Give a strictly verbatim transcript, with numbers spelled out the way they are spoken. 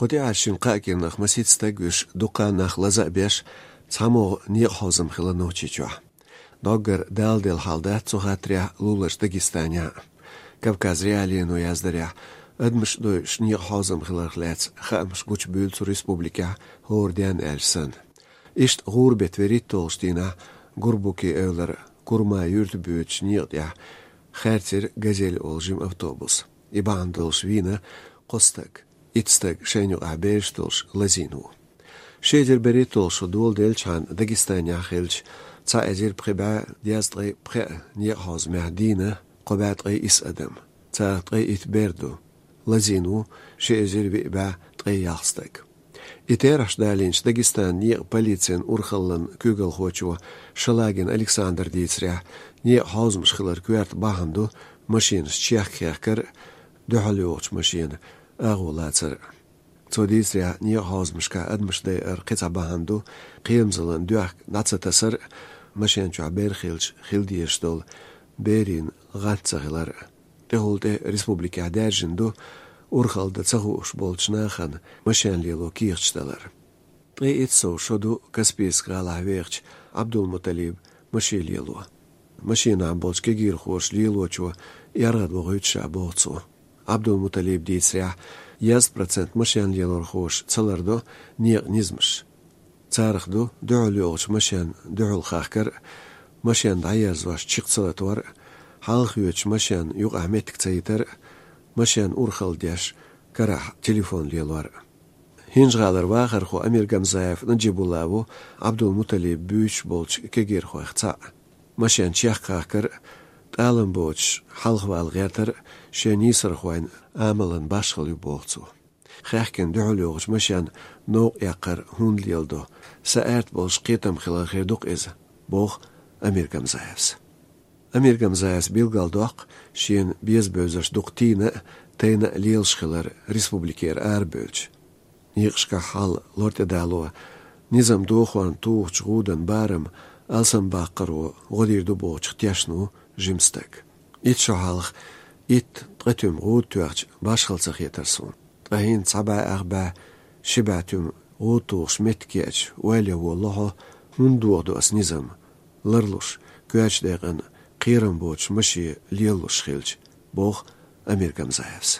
Оцу тӀехьа шина-кхаа кӀирнах масийтта стаг вуьйш, дуккха а нах лаза а беш, цхьамогӀа некъахьовзам хилла Нохчийчохь. Доггара Дала делла хьал дац цу хаттарехь луларчу Дагестанехь а. Кавказ.Реалиино яздарехь, адамаш а дойуш некъахьовзам хиларх лаьцна хаамаш гучубуьйлу цу республикехь хӀора денна аьлча санна. Иштта гӀуран беттан вуьрхӀитталгӀачу дийнахь Гурбуки-Эвлара Курма юьрта боьдучу некъа тӀехь хаьрцира «Газель» олу жима автобус. И бахьана долуш вийна кхо стаг. Итт стаг, шайна юкъахь бераш долуш, лазийна ву. Ши эзар берхӀитталгӀа шо доладелчхьана Дагестанехь хиллачу цхьа эзар пхи бӀе дезткъе пхеа некъахьовзамехь дийна кхо бӀе ткъе исс адам. Царах ткъе итт бер ду. Лазийна ву ши эзар виъ бӀе ткъе ялх стаг. И терахьаш далийначу Дагестанан некъан полицин урхаллин куьйгалхочо Шалагин Александра дийцарехь, некъахьовзамаш хиларан коьрта бахьана ду машинаш чехка хехкар а, дуьхьал йогӀучу машенан агӀо лацар а. Цо дийцарехь, некъахьовзамашкахь адамаш дайаран кхин цхьа бахьана ду кхерамзаллин доьхка дӀа ца тасар а, машен чохь бер хилча хила дезаш долу берийн гӀант ца хилар а. ТӀехула тӀе республикехь даьржина ду урхалла дан ца хууш болчу нахана машен лело кехаташ далар. Ткъе итт сов шо ду Каспийск-гӀалахь вехачу Ӏабдулмуталибан машен лело. Машенахь болчу кегийрхоша лелочо яргӀад вохуьйту ша, боху цо. Ӏабдулмуталибан дийцарехь, дезткъа процент машен лелорхоша ца лардо некъан низамаш. Царах ду дуьхьал йогӀучу машенна дуьхьал хахкар а, машен дӀаерзош чекх ца латор а, хьалха йоьдучу машенна юкъахь меттиг ца йитар а, машен урхалла деш карахь телефон лелор а. ХӀинжа-ГӀалара вахархо Амиргамзаев Наджибулла ву Ӏабдулмуталиб буьйцуш болчу кегийрхойх цхьаъ. Машен чехка хахкар а, тӀалам боцуш хьалхавала гӀертар а шен нийсархойн амалан башхалла ю, боху цо. Хаьхкина дуьхьал йогӀучу машенна новкъа эккхар хӀунда леладо, сан аьрта болуш кхетам хилар хир ду-кх иза, боху Амиргамзаевс. Амиргамзаевс билгалдоккху шена беза-бевзарш дукха тийна а, тайна а лелаш хилар республикера арабевлча. Некъашкахь хьал лор-тӀедало, низам дохорна тухучу гӀуданан барам алсамбаккхаро гӀо дийр ду бохучух тешна ву жима стаг. Итт шо хьалха итт ткъе туьма гӀуда тоьхча, башхалла ца хетара суна. Ткъа хӀинца цхьа бӀе ах бӀе, ши бӀе туьма гӀуда тухуш меттиг еача, ойла ян волало хьо, хӀунда дохадо ас низам ларлуш, коьртачу декъана кхерам боцуш машен лелалуш хилча, боху Амиргамзаевс.